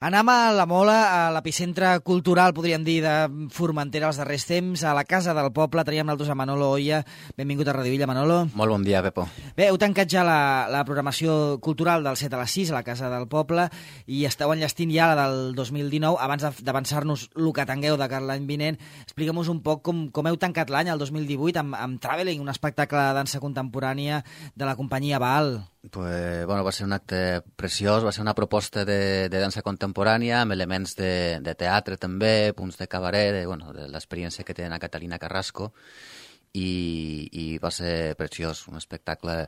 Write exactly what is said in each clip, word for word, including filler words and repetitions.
Anem a la Mola, a l'epicentre cultural, podríem dir, de Formentera els darrers temps, a la Casa del Poble. Traiem nosaltres a Manolo Oia. Benvingut a Radio Illa, Manolo. Molt bon dia, Pepo. Bé, heu tancat ja la, la programació cultural del set a les sis a la Casa del Poble i esteu enllestint ja la del dos mil dinou. Abans d'avançar-nos el que tingueu de cara l'any vinent, expliquem-nos un poc com, com heu tancat l'any, el dos mil divuit, amb, amb Traveling, un espectacle de dansa contemporània de la companyia Baal. Pues, bueno, va ser un acte preciós, va ser una proposta de, de dansa contemporània amb elements de, de teatre també, punts de cabaret, de, bueno, de l'experiència que té a Catalina Carrasco i, i va ser preciós, un espectacle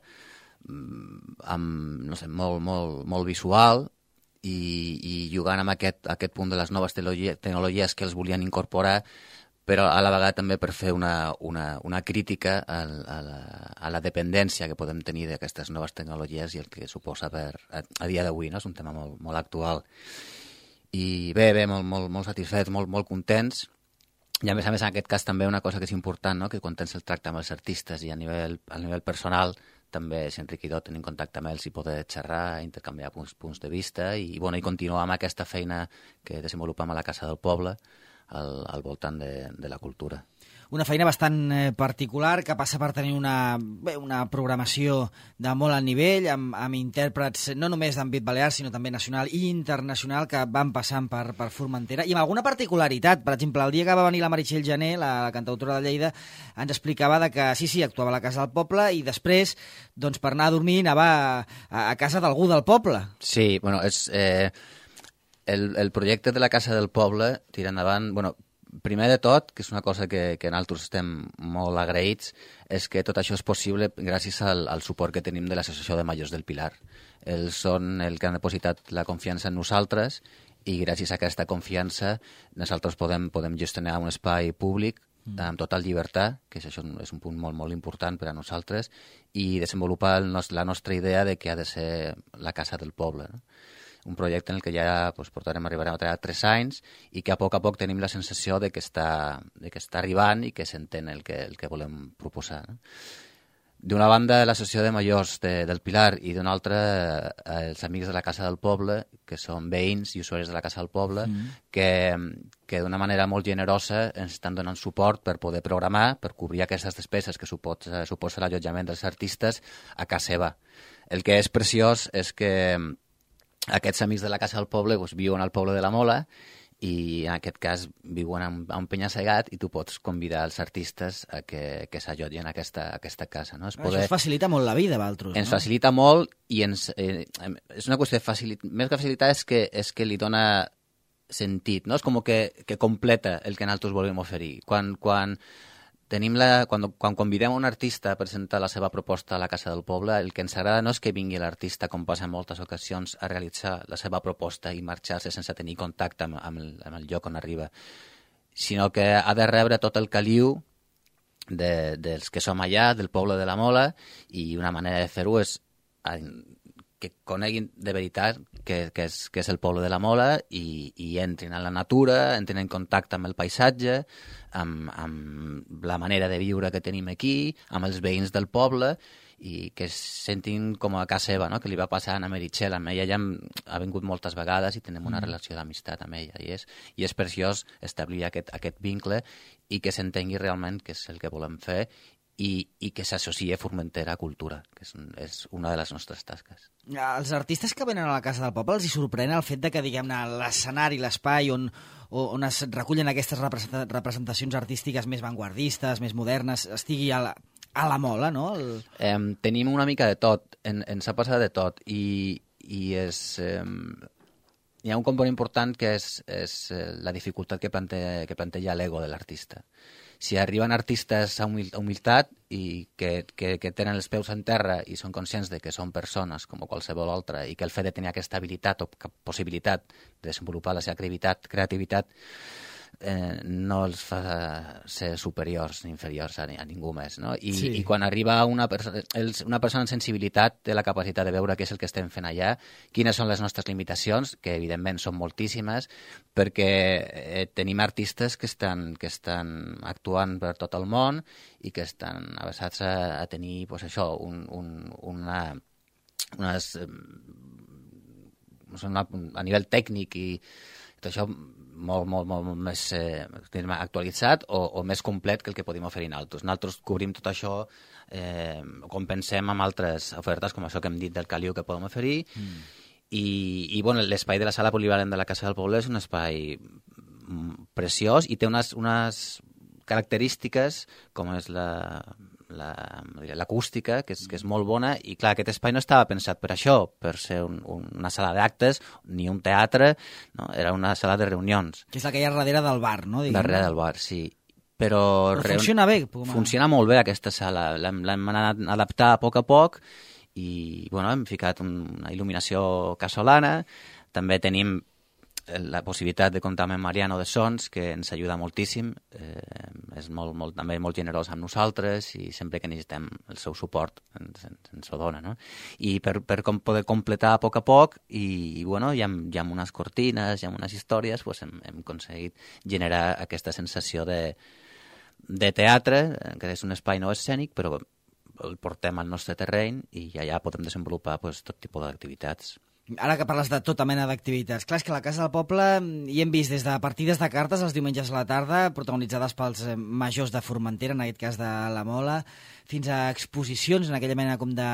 amb, no sé, molt, molt, molt visual i, i jugant amb aquest, aquest punt de les noves tecnologies que els volien incorporar, però a la vegada també per fer una, una, una crítica a, a, la, a la dependència que podem tenir d'aquestes noves tecnologies i el que suposa per, a, a dia d'avui, no? És un tema molt, molt actual. I bé, bé, molt, molt, molt satisfets, molt, molt contents. I a més a més, en aquest cas també una cosa que és important, no? Que quan tens el tracte amb els artistes i a nivell, a nivell personal també és enriquidor tenir contacte amb ells i poder xerrar, intercanviar punts, punts de vista i, bueno, i continuar amb aquesta feina que desenvolupem a la Casa del Poble Al, al voltant de, de la cultura. Una feina bastant eh, particular que passa per tenir una, bé, una programació de molt alt nivell, amb, amb intèrprets no només d'àmbit balear, sinó també nacional i internacional que van passant per, per Formentera, i amb alguna particularitat. Per exemple, el dia que va venir la Meritxell Jané, la, la cantautora de Lleida, ens explicava de que sí, sí, actuava a la Casa del Poble i després, doncs, per anar a dormir, anava a, a casa d'algú del poble. Sí, bueno, és... Eh... El, el projecte de la Casa del Poble tira endavant, bueno, primer de tot, que és una cosa que, que nosaltres estem molt agraïts, és que tot això és possible gràcies al, al suport que tenim de l'Associació de Majors del Pilar. Ells són el que han depositat la confiança en nosaltres i gràcies a aquesta confiança nosaltres podem, podem gestionar un espai públic amb total llibertat, que això és un punt molt, molt important per a nosaltres, i desenvolupar el nos, la nostra idea de que ha de ser la Casa del Poble, no? Un projecte en el que ja pues, portarem, arribarem a treballar tres anys i que a poc a poc tenim la sensació de que està, de que està arribant i que s'entén el que, el que volem proposar. No? D'una banda, l'Associació de Majors de, del Pilar i d'una altra, eh, els amics de la Casa del Poble, que són veïns i usuaris de la Casa del Poble, mm. que, que d'una manera molt generosa ens estan donant suport per poder programar, per cobrir aquestes despeses que suposa, suposa l'allotjament dels artistes a casa seva. El que és preciós és que aquests amics de la Casa del Poble doncs, viuen al poble de la Mola i en aquest cas viuen a un penya-segat i tu pots convidar els artistes a que, que s'allotgin a aquesta, a aquesta casa. No? Es poder... Això us facilita molt la vida, Valtros. Ens no? facilita molt i ens, eh, és una qüestió de facilitat. Més que facilitar és que, és que li dona sentit, no? És com que, que completa el que nosaltres volem oferir. Quan... quan Tenim la, quan, quan convidem un artista a presentar la seva proposta a la Casa del Poble, el que ens agrada no és que vingui l'artista, com passa en moltes ocasions, a realitzar la seva proposta i marxar-se sense tenir contacte amb, amb, el, amb el lloc on arriba, sinó que ha de rebre tot el caliu de, dels que som allà, del poble de la Mola, i una manera de fer-ho és que coneguin de veritat que, que, és, que és el poble de la Mola i, i entrin a la natura, entrin en contacte amb el paisatge, amb, amb la manera de viure que tenim aquí, amb els veïns del poble i que es sentin com a casa seva, no? Que li va passar a Meritxell. Amb ella ja ha vingut moltes vegades i tenim una mm. relació d'amistat amb ella i és, i és preciós establir aquest, aquest vincle i que s'entengui realment que és el que volem fer i, i que s'associa Formentera a cultura, que és, és una de les nostres tasques. Els artistes que venen a la Casa del Poble els hi sorprèn el fet de que, diguem-ne, l'escenari, l'espai on, on es recullen aquestes representacions artístiques més vanguardistes, més modernes, estigui a la, a la Mola, no? El... Eh, tenim una mica de tot, en, ens ha passat de tot, i, i és... Eh, hi ha un component important que és, és la dificultat que planteja, que planteja l'ego de l'artista. Si arriben artistes a humilitat i que, que, que tenen els peus en terra i són conscients de que són persones com qualsevol altra i que el fet de tenir aquesta habilitat o possibilitat de desenvolupar la seva creativitat, creativitat eh, no els fa ser superiors ni inferiors a, a ningú més, no? I, sí. I quan arriba una, perso els, una persona amb sensibilitat té la capacitat de veure què és el que estem fent allà, quines són les nostres limitacions, que evidentment són moltíssimes, perquè eh, tenim artistes que estan, que estan actuant per tot el món i que estan avesats a, a tenir pues, això, un, un, una, unes... a nivell tècnic i tot això molt, molt, molt, molt més eh, actualitzat o, o més complet que el que podem oferir nosaltres. Nosaltres cobrim tot això, eh, compensem amb altres ofertes, com això que hem dit del caliu que podem oferir, mm. i, i bueno, l'espai de la sala polivalent de la Casa del Poble és un espai preciós i té unes, unes característiques com és la... l'acústica, que és, que és molt bona, i clar, aquest espai no estava pensat per això, per ser un, un, una sala d'actes, ni un teatre, no? Era una sala de reunions. Que és la que hi ha darrere del bar, no? Diguem. Darrere del bar, sí. Però, Però funciona bé. Funciona molt bé aquesta sala, l'hem anat a adaptar a poc a poc, i bueno, hem ficat un, una il·luminació casolana, també tenim la possibilitat de comptar amb Mariano de Sons, que ens ajuda moltíssim, eh, és molt, molt, també molt generós amb nosaltres i sempre que necessitem el seu suport ens, ens, ens ho dona, no? I per, per com poder completar a poc a poc i, i bueno, hi ha, hi ha unes cortines, hi ha unes històries, pues hem, hem aconseguit generar aquesta sensació de, de teatre, que és un espai no escènic, però el portem al nostre terreny i allà podem desenvolupar pues, tot tipus d'activitats. Ara que parles de tota mena d'activitats, clar, és que a la Casa del Poble hi hem vist des de partides de cartes els diumenges a la tarda, protagonitzades pels majors de Formentera, en aquest cas de la Mola, fins a exposicions en aquella mena com de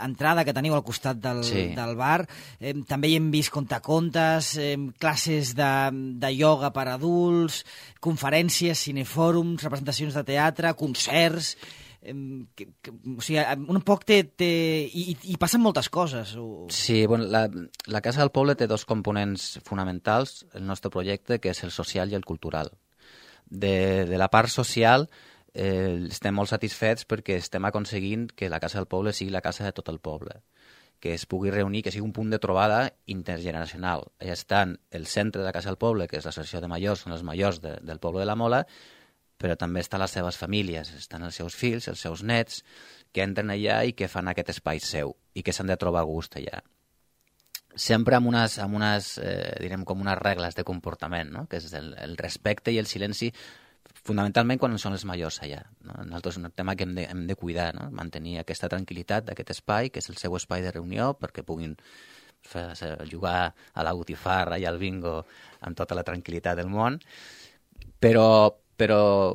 entrada que teniu al costat del, sí. del bar. Eh, també hi hem vist contacontes, eh, classes de, de ioga per adults, conferències, cinefòrums, representacions de teatre, concerts... Que, que, o sigui, un poc té... té i, i passen moltes coses. O... Sí, bueno, la, la Casa del Poble té dos components fonamentals, el nostre projecte, que és el social i el cultural. De, de la part social eh, estem molt satisfets perquè estem aconseguint que la Casa del Poble sigui la casa de tot el poble, que es pugui reunir, que sigui un punt de trobada intergeneracional. Allà estan el centre de la Casa del Poble, que és l'associació de majors, són els majors de, del poble de la Mola, però també estan les seves famílies, estan els seus fills, els seus nets, que entren allà i que fan aquest espai seu i que s'han de trobar a gust allà. Sempre amb unes, amb unes eh, direm, com unes regles de comportament, no? Que és el, el respecte i el silenci, fonamentalment quan són els majors allà. No? Nosaltres és un tema que hem de, hem de cuidar, no? Mantenir aquesta tranquil·litat d'aquest espai, que és el seu espai de reunió, perquè puguin fer, jugar a la botifarra i al bingo amb tota la tranquil·litat del món, però però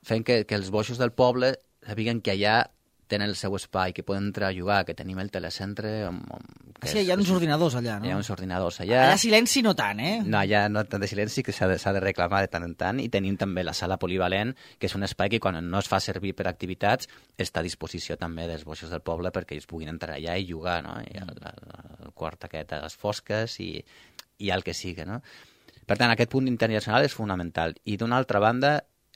fent que, que els boixos del poble sàpiguen que allà tenen el seu espai, que poden entrar a jugar, que tenim el telecentre... On, on, que sí, és, hi ha uns ordinadors allà, no? Hi ha uns ordinadors allà. Allà silenci no tant, eh? No, allà no tant de silenci, que s'ha de, s'ha de reclamar de tant en tant, i tenim també la sala polivalent, que és un espai que quan no es fa servir per activitats està a disposició també dels boixos del poble perquè ells puguin entrar allà i jugar, no? I el, el, el quart aquest a les fosques i, i el que sigui, no? Per tant, aquest punt internacional és fonamental. I d'una altra banda,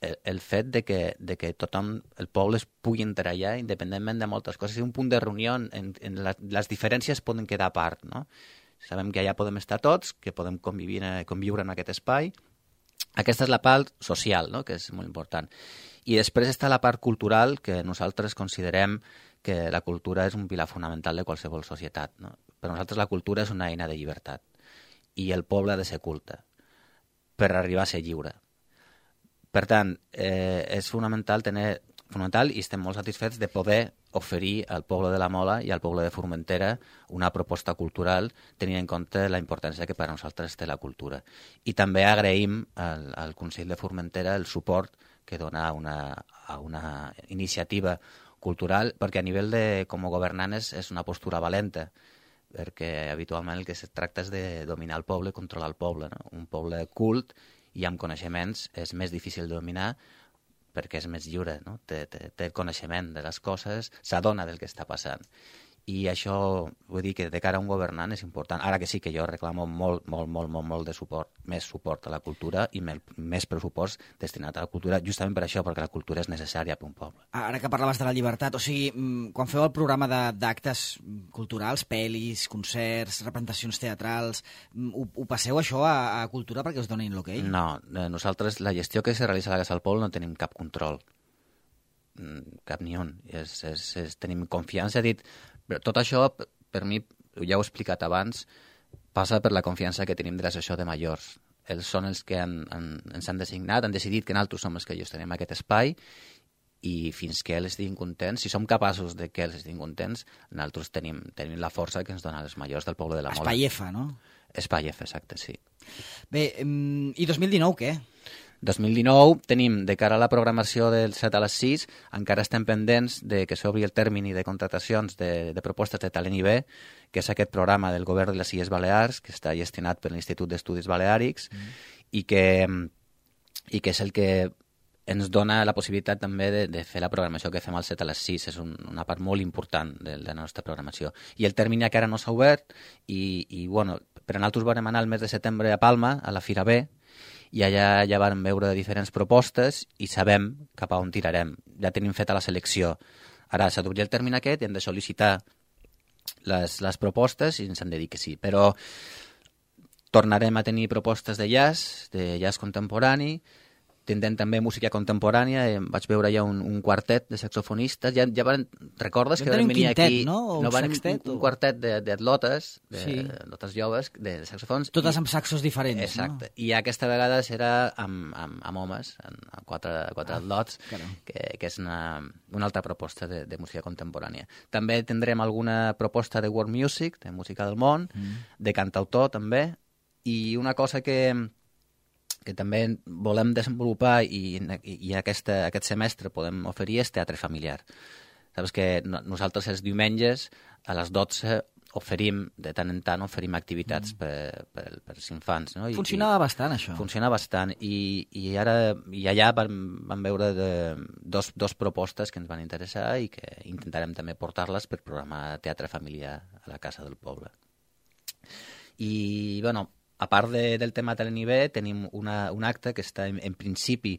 el, el fet de que, de que tothom, el poble es pugui entrar allà, independentment de moltes coses, és un punt de reunió en, en la, les diferències poden quedar a part, no? Sabem que allà podem estar tots, que podem convivir, conviure en aquest espai. Aquesta és la part social, no? Que és molt important. I després està la part cultural, que nosaltres considerem que la cultura és un pilar fonamental de qualsevol societat, no? Per nosaltres la cultura és una eina de llibertat i el poble ha de ser culte per arribar a ser lliure. Per tant, eh, és fonamental tenir fonamental i estem molt satisfets de poder oferir al poble de la Mola i al poble de Formentera una proposta cultural tenint en compte la importància que per a nosaltres té la cultura. I també agraïm al, al Consell de Formentera el suport que dona a una, a una iniciativa cultural, perquè a nivell de com a governant és, és una postura valenta, perquè habitualment el que es tracta és de dominar el poble i controlar el poble, no? Un poble cult i amb coneixements és més difícil de dominar perquè és més lliure, no? Té, té, té coneixement de les coses, s'adona del que està passant. I això, vull dir que de cara a un governant és important. Ara que sí que jo reclamo molt, molt, molt, molt, molt de suport, més suport a la cultura i més pressupost destinat a la cultura, justament per això, perquè la cultura és necessària per un poble. Ara que parlaves de la llibertat, o sigui, quan feu el programa d'actes culturals, pel·lis, concerts, representacions teatrals, ho, ho passeu això a, a cultura perquè us donin l'ok? No, nosaltres, la gestió que se realitza a la Casa del Poble no tenim cap control, cap ni un. És, és, és, tenim confiança, he dit... Però tot això, per mi, ja ho he explicat abans, passa per la confiança que tenim de l'associació de majors. Ells són els que han, han, ens han designat, han decidit que nosaltres som els que gestionem aquest espai i fins que ells estiguin contents, si som capaços de que ells estiguin contents, nosaltres tenim, tenim la força que ens dona els majors del poble de la Mola. Espai F, no? Espai F, exacte, sí. Bé, i dos mil dinou què? dos mil dinou tenim, de cara a la programació del set a les sis, encara estem pendents de que s'obri el termini de contratacions de, de propostes de talent I B, que és aquest programa del govern de les Illes Balears, que està gestionat per l'Institut d'Estudis Baleàrics, mm. i, que, i que és el que ens dona la possibilitat també de, de fer la programació que fem al set a les sis. És un, una part molt important de, de la nostra programació. I el termini encara no s'ha obert i, i bueno, per a nosaltres vam anar el mes de setembre a Palma, a la Fira B, i allà ja vam veure diferents propostes i sabem cap a on tirarem. Ja tenim feta la selecció. Ara s'ha d'obrir el termini aquest i hem de sol·licitar les, les propostes i ens han de dir que sí. Però tornarem a tenir propostes de jazz, de jazz contemporani, tindrem també música contemporània, eh, vaig veure ja un, un quartet de saxofonistes, ja, ja van, recordes que van venir quintet, aquí... no? O no un van, sextet? Un, un o... quartet d'atlotes, de, sí. atlotes joves, de saxofons. Totes i, amb saxos diferents, exacte, no? I aquesta vegada serà amb, amb, amb homes, amb quatre, quatre ah, atlots, que, que és una, una altra proposta de, de música contemporània. També tindrem alguna proposta de world music, de música del món, mm. de cantautor també, i una cosa que... que també volem desenvolupar i, i, i aquesta, aquest semestre podem oferir és teatre familiar. Saps que no, nosaltres els diumenges a les dotze oferim, de tant en tant, oferim activitats mm. per, per, per als infants. No? I, Funcionava i, bastant, això. Funciona bastant. I, i ara i allà vam, vam veure de, dos, dos propostes que ens van interessar i que intentarem també portar-les per programar teatre familiar a la Casa del Poble. I, bueno, a part de, del tema de l'N I B, tenim una, un acte que està, en, en principi,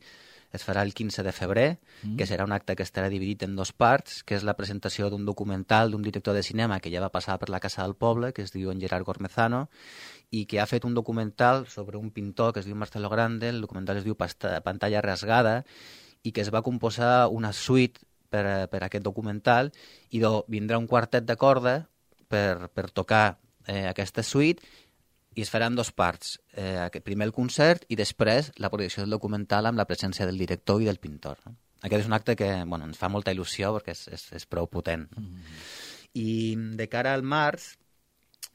es farà el quinze de febrer, mm. que serà un acte que estarà dividit en dos parts, que és la presentació d'un documental d'un director de cinema que ja va passar per la Casa del Poble, que es diu en Gerard Gormezano, i que ha fet un documental sobre un pintor que es diu Marcelo Grande, el documental es diu Pantalla rasgada, i que es va composar una suite per, per aquest documental, i do, vindrà un quartet de corda per, per tocar eh, aquesta suite, i es farà en dues parts, eh, primer el concert i després la projecció del documental amb la presència del director i del pintor. No? Aquest és un acte que bueno, ens fa molta il·lusió perquè és, és, és prou potent. No? Mm-hmm. I de cara al març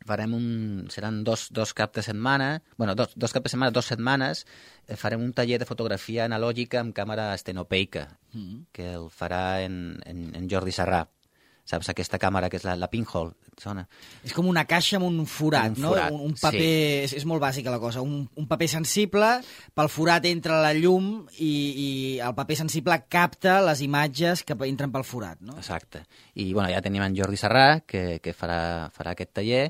farem un, seran dos, dos caps de setmana, bueno, dos, dos caps de setmana, dos setmanes, eh, farem un taller de fotografia analògica amb càmera estenopeica, mm-hmm. que el farà en, en, en Jordi Sarrà. Saps, aquesta càmera que és la, la pinhole, sona? És com una caixa amb un forat, un no? Forat, un, un paper, sí. és, és molt bàsica la cosa, un, un paper sensible, pel forat entra la llum i, i el paper sensible capta les imatges que entren pel forat, no? Exacte. I bueno, ja tenim en Jordi Sarrà, que, que farà, farà aquest taller,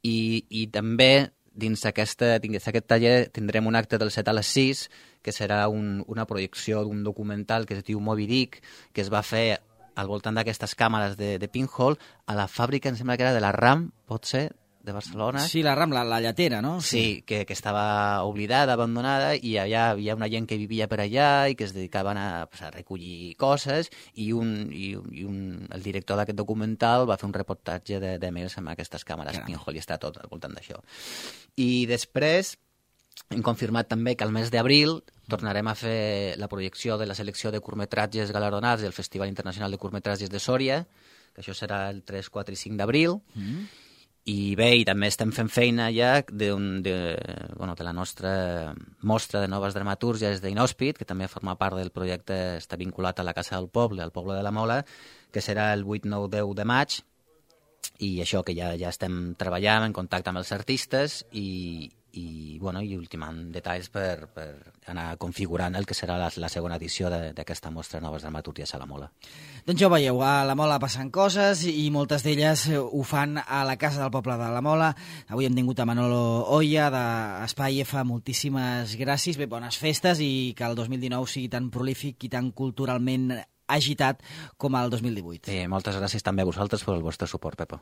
i, i també dins aquesta, dins aquest taller tindrem un acte del set a les sis, que serà un, una projecció d'un documental que es diu Moby Dick, que es va fer al voltant d'aquestes càmeres de, de pinhole, a la fàbrica, em sembla que era de la RAM, pot ser, de Barcelona. Sí, la RAM, la, la lletera, no? Sí, sí que, que estava oblidada, abandonada, i allà hi havia una gent que vivia per allà i que es dedicaven a, pues, a recollir coses, i, un, i, i un, el director d'aquest documental va fer un reportatge de, de més amb aquestes càmeres Caram. pinhole, i està tot al voltant d'això. I després hem confirmat també que al mes d'abril tornarem a fer la projecció de la selecció de curtmetratges galardonats del Festival Internacional de Curtmetratges de Sòria, que això serà el tres, quatre i cinc d'abril. Mm. I bé, i també estem fent feina ja de, un, de, bueno, de la nostra mostra de noves dramatúrgies d'Inhòspit, que també forma part del projecte, està vinculat a la Casa del Poble, al Poble de la Mola, que serà el vuit, nou, deu de maig, i això que ja, ja estem treballant en contacte amb els artistes i, i, bueno, i ultimant detalls per, per anar configurant el que serà la, la segona edició d'aquesta mostra Noves Dramatúrgies a la Mola. Doncs ja ho veieu, a la Mola passen coses i moltes d'elles ho fan a la Casa del Poble de la Mola. Avui hem tingut a Manolo Oya d'Espai F, moltíssimes gràcies, bé, bones festes i que el dos mil dinou sigui tan prolífic i tan culturalment agitat com el dos mil divuit. Sí, moltes gràcies també a vosaltres per el vostre suport, Pepo.